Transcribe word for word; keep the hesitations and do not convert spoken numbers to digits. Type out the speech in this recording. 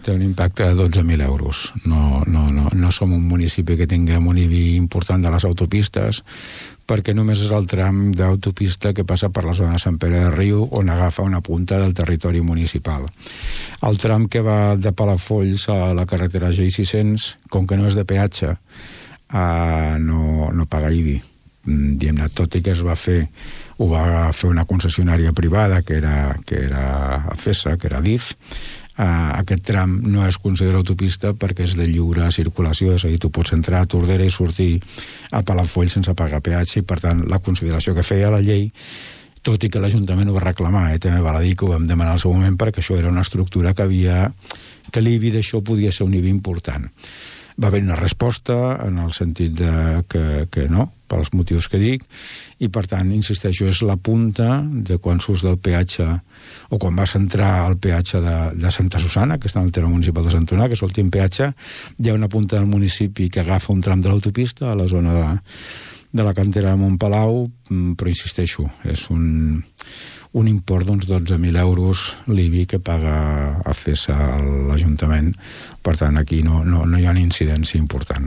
té un impacte de dotze mil euros. No, no, no, no som un municipi que tinguem un I B I important de les autopistes, perquè només és el tram d'autopista que passa per la zona de Sant Pere de Riu, on agafa una punta del territori municipal. El tram que va de Palafolls a la carretera G sis cents, com que no és de peatge, eh, no, no paga I B I. Diguem-ne, tot i que es va fer, ho va fer una concessionària privada, que era, que era ACESA, que era D I F. Uh, aquest tram no es considera autopista perquè és de lliure circulació, és a dir, tu pots entrar a Tordera i sortir a Palafolls sense pagar peatge, i per tant la consideració que feia la llei, tot i que l'Ajuntament ho va reclamar, eh, també val a dir que ho vam demanar al seu moment perquè això era una estructura que havia, que l'I B I d'això podia ser un I B I important. Va haver una resposta en el sentit de que, que no, pels motius que dic, i per tant, insisteixo, és la punta de quan surts del peatge o quan vas entrar al peatge de, de Santa Susana, que està en el terme municipal de Sant Onà, que és l'últim peatge, hi ha una punta del municipi que agafa un tram de l'autopista a la zona de, de la cantera de Montpalau, però insisteixo, és un, un import d'uns dotze mil euros l'I B I que paga ACESA a l'Ajuntament. Per tant, aquí no, no, no hi ha una incidència important.